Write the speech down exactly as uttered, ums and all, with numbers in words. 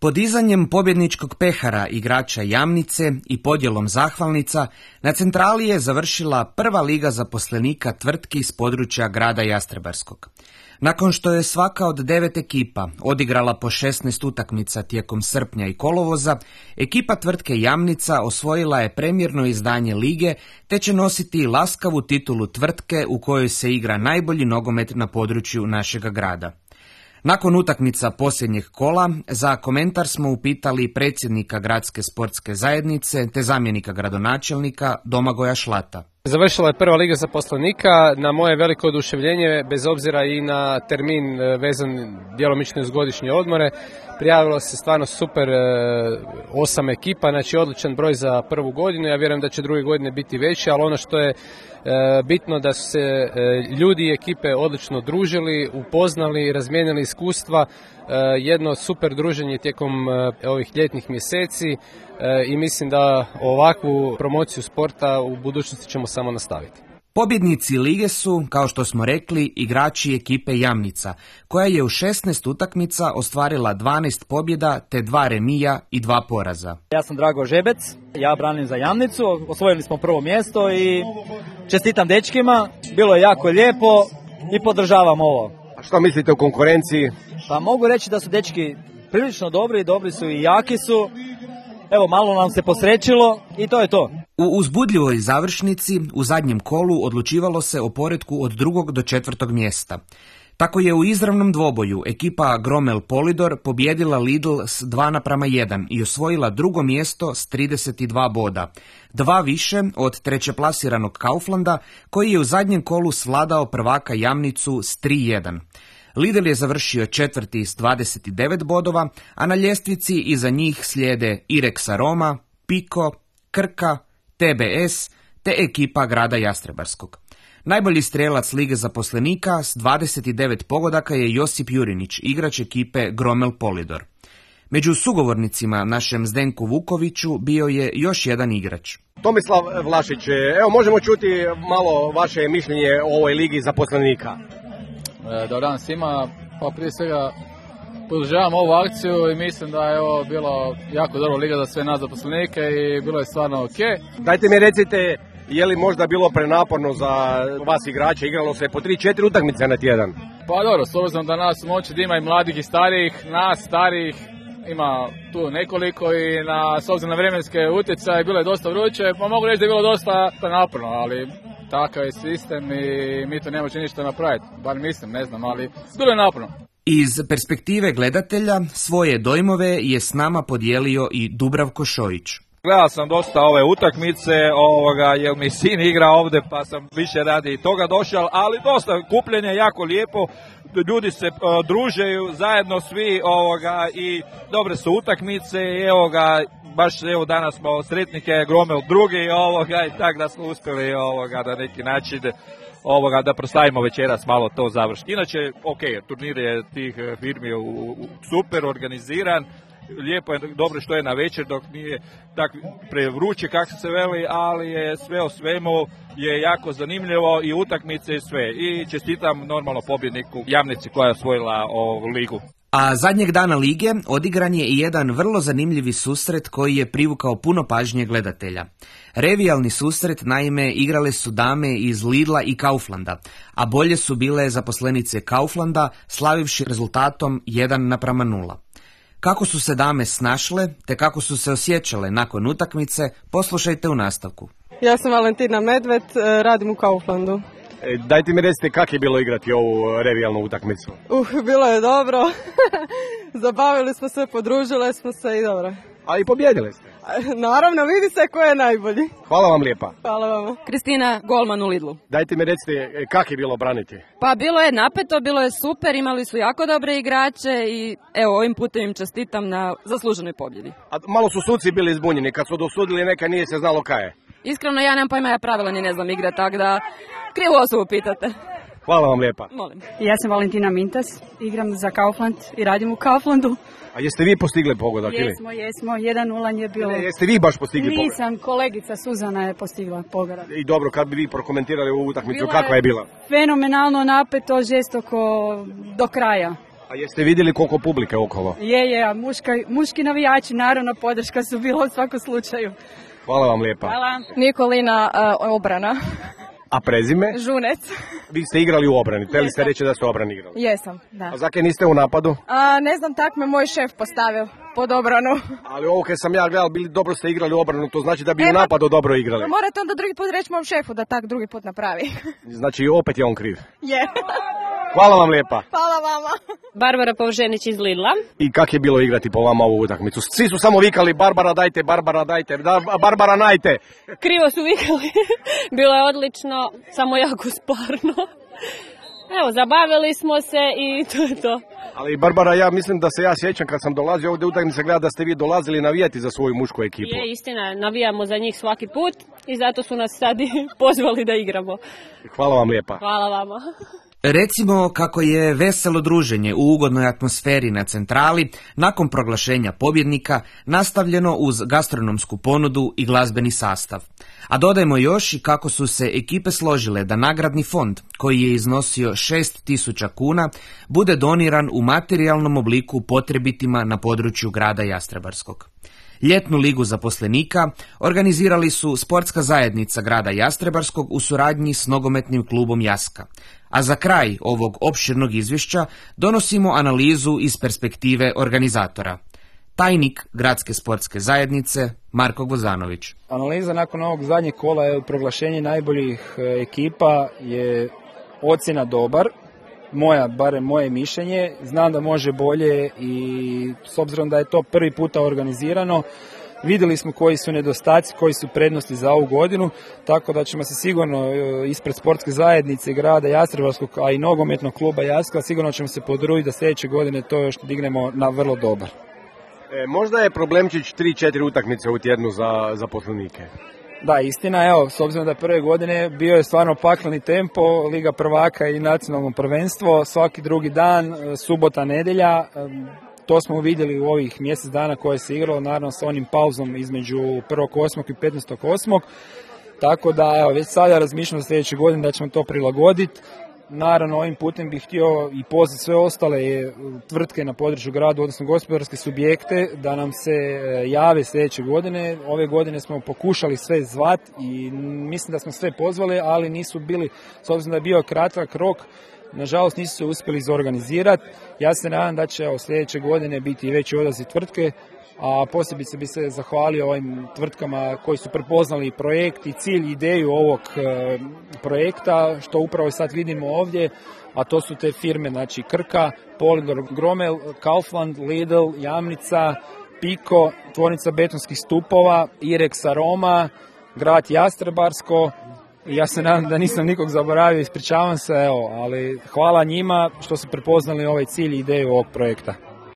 Podizanjem pobjedničkog pehara igrača Jamnice i podjelom zahvalnica na centrali je završila prva liga zaposlenika tvrtki s područja grada Jastrebarskog. Nakon što je svaka od devet ekipa odigrala po šesnaest utakmica tijekom srpnja i kolovoza, ekipa tvrtke Jamnica osvojila je premijerno izdanje lige te će nositi laskavu titulu tvrtke u kojoj se igra najbolji nogomet na području našega grada. Nakon utakmica posljednjeg kola, za komentar smo upitali predsjednika gradske sportske zajednice te zamjenika gradonačelnika Domagoja Šlata. Završila je prva liga zaposlenika, na moje veliko oduševljenje, bez obzira i na termin vezan djelomično uz godišnje odmore. Prijavilo se stvarno super osam ekipa, znači odličan broj za prvu godinu. Ja vjerujem da će druge godine biti veći, ali ono što je bitno da su se ljudi i ekipe odlično družili, upoznali, razmijenili iskustva, jedno super druženje tijekom ovih ljetnih mjeseci i mislim da ovakvu promociju sporta u budućnosti ćemo samo nastaviti. Pobjednici lige su, kao što smo rekli, igrači ekipe Jamnica, koja je u šesnaest utakmica ostvarila dvanaest pobjeda te dva remija i dva poraza. Ja sam Drago Žebec, ja branim za Jamnicu, osvojili smo prvo mjesto i čestitam dečkima, bilo je jako lijepo i podržavam ovo. A što mislite o konkurenciji? Pa mogu reći da su dečki prilično dobri, dobri su i jaki su. Evo, malo nam se posrećilo i to je to. U uzbudljivoj završnici u zadnjem kolu odlučivalo se o poretku od drugog do četvrtog mjesta. Tako je u izravnom dvoboju ekipa Gromel Polidor pobjedila Lidl s dva naprama jedan i osvojila drugo mjesto s trideset dva boda. Dva više od trećeplasiranog Kauflanda, koji je u zadnjem kolu svladao prvaka Jamnicu s tri jedan. Lidl je završio četvrti s dvadeset devet bodova, a na ljestvici iza njih slijede Irex Aroma, Piko, Krka, T B S te ekipa grada Jastrebarskog. Najbolji strelac lige zaposlenika s dvadeset devet pogodaka je Josip Jurinić, igrač ekipe Gromel Polidor. Među sugovornicima našem Zdenku Vukoviću bio je još jedan igrač. Tomislav Vlašić, evo možemo čuti malo vaše mišljenje o ovoj ligi zaposlenika. Dobar dan svima, pa prije svega podržavam ovu akciju i mislim da je ovo bilo jako dobra liga za sve nas zaposlenike i bilo je stvarno ok. Dajte mi recite, je li možda bilo prenaporno za vas igrače, igralo se po tri četiri utakmice na tjedan? Pa dobro, s obzirom da nas moći da ima i mladih i starijih, nas starijih ima tu nekoliko i na, s obzirom na vremenske utjecaje bilo je dosta vruće, pa mogu reći da je bilo dosta naporno, ali takav je sistem i mi to ne možemo ništa napraviti, bar mislim, ne znam, ali bilo je naporno. Iz perspektive gledatelja svoje dojmove je s nama podijelio i Dubravko Šojić. Gledao sam dosta ove utakmice, ovoga, jer mi sin igra ovdje pa sam više radi toga došao, ali dosta kupljenje jako lijepo, ljudi se uh, družeju zajedno svi ovoga, i dobre su utakmice i evo ga, baš evo danas smo sretnike Gromel drugi ovoga, i tako da smo uspjeli ovoga, na neki način ovoga, da proslavimo večeras malo to završiti. Inače, ok, turnir je tih firmi u, u, super organiziran, lijepo je, dobro što je na večer dok nije tak prevruće kako se veli, ali je sve o svemu je jako zanimljivo i utakmice i sve. I čestitam normalno pobjedniku Jamnici koja je osvojila ovu ligu. A zadnjeg dana lige odigran je i jedan vrlo zanimljivi susret koji je privukao puno pažnje gledatelja. Revijalni susret, naime, igrale su dame iz Lidla i Kauflanda, a bolje su bile zaposlenice Kauflanda, slavivši rezultatom jedan naprama nula. Kako su se dame snašle, te kako su se osjećale nakon utakmice, poslušajte u nastavku. Ja sam Valentina Medved, radim u Kauflandu. E, dajte mi recite kako je bilo igrati ovu revijalnu utakmicu. Uh, bilo je dobro. Zabavili smo se, podružile smo se i dobro. Ali pobjedili ste. Naravno, vidi se ko je najbolji. Hvala vam lijepa. Hvala vam. Kristina Golman u Lidlu. Dajte mi recite kako je bilo braniti. Pa bilo je napeto, bilo je super, imali su jako dobre igrače i evo ovim putem im čestitam na zasluženoj pobjedi. A malo su suci bili zbunjeni, kad su dosudili neka nije se znalo kaj je. Iskreno ja nemam pojma, ja pravila ni ne znam igrati, tako da krivu osobu pitate. Hvala vam lijepa. Molim. Ja sam Valentina Mintas, igram za Kaufland i radim u Kauflandu. A jeste vi postigli pogodak ili? Jesmo, jesmo, jedan nula je bilo. Ne, jeste vi baš postigli pogodak? Nisam, kolegica Suzana je postigla pogodak. I dobro, kad bi vi prokomentirali ovu utakmicu, kakva je bila? Fenomenalno napeto, žestoko do kraja. A jeste vidjeli koliko publike okolo? Je, je, a muška, muški navijači, naravno, podrška su bila u svakom slučaju. Hvala vam lijepa. Hvala. Nikolina uh, obrana. A prezime? Žunec. Vi ste igrali u obrani, htjeli ste reći da ste u obrani igrali. Jesam, da. A zakaj niste u napadu? A, ne znam, tak me moj šef postavio pod obranu. Ali ovo kad sam ja gledal, bili dobro ste igrali u obranu, to znači da bi e, u napadu dobro igrali. Morate onda drugi put reći mom šefu da tak drugi put napravi. Znači opet je on kriv. Je. Hvala vam lijepa. Hvala vama. Barbara Povženić iz Lidla. I kak je bilo igrati po vama ovu utakmicu? Svi su samo vikali Barbara dajte, Barbara dajte, da, Barbara najte. Krivo su vikali. Bilo je odlično, samo jako sparno. Evo, zabavili smo se i to je to. Ali Barbara, ja mislim da se ja sjećam kad sam dolazio ovdje utakmice gleda da ste vi dolazili navijati za svoju mušku ekipu. Je, istina, navijamo za njih svaki put i zato su nas sad pozvali da igramo. Hvala vam lijepa. Hvala vama. Recimo kako je veselo druženje u ugodnoj atmosferi na centrali nakon proglašenja pobjednika nastavljeno uz gastronomsku ponudu i glazbeni sastav. A dodajmo još i kako su se ekipe složile da nagradni fond, koji je iznosio šest tisuća kuna, bude doniran u materijalnom obliku potrebitima na području grada Jastrebarskog. Ljetnu ligu zaposlenika organizirali su sportska zajednica grada Jastrebarskog u suradnji s nogometnim klubom Jaska. A za kraj ovog opširnog izvješća donosimo analizu iz perspektive organizatora. Tajnik Gradske sportske zajednice Marko Gvozanović. Analiza nakon ovog zadnjeg kola je proglašenje najboljih ekipa je ocjena dobar. Moja, barem moje mišljenje, znam da može bolje i s obzirom da je to prvi puta organizirano, vidjeli smo koji su nedostaci, koji su prednosti za ovu godinu, tako da ćemo se sigurno ispred sportske zajednice grada Jastrebarskog, a i nogometnog kluba Jaska, sigurno ćemo se podružiti da sljedeće godine to još dignemo na vrlo dobar. E, možda je problemčić tri četiri utakmice u tjednu za zaposlenike. Da, istina, evo, s obzirom da prve godine bio je stvarno pakleni tempo, Liga prvaka i nacionalno prvenstvo, svaki drugi dan, subota, nedjelja, to smo vidjeli u ovih mjesec dana koje se igralo, naravno sa onim pauzom između prvog osmog i petnaestog osmog Tako da, evo, već sada razmišljamo za sljedeće godine da ćemo to prilagoditi. Naravno, ovim putem bih htio i pozvati sve ostale tvrtke na području grada, odnosno gospodarske subjekte, da nam se jave sljedeće godine. Ove godine smo pokušali sve zvat i mislim da smo sve pozvali, ali nisu bili, s obzirom da je bio kratak rok, nažalost nisu se uspjeli izorganizirati. Ja se nadam da će evo, sljedeće godine biti veći odaziv tvrtke, a posebice bi se zahvalio ovim tvrtkama koji su prepoznali projekt i cilj, ideju ovog e, projekta, što upravo sad vidimo ovdje, a to su te firme, znači Krka, Polidor, Gromel, Kaufland, Lidl, Jamnica, Piko, tvornica betonskih stupova, Irex Aroma, grad Jastrebarsko. Ja se nadam da nisam nikog zaboravio, ispričavam se, evo, ali hvala njima što su prepoznali ovaj cilj i ideju ovog projekta.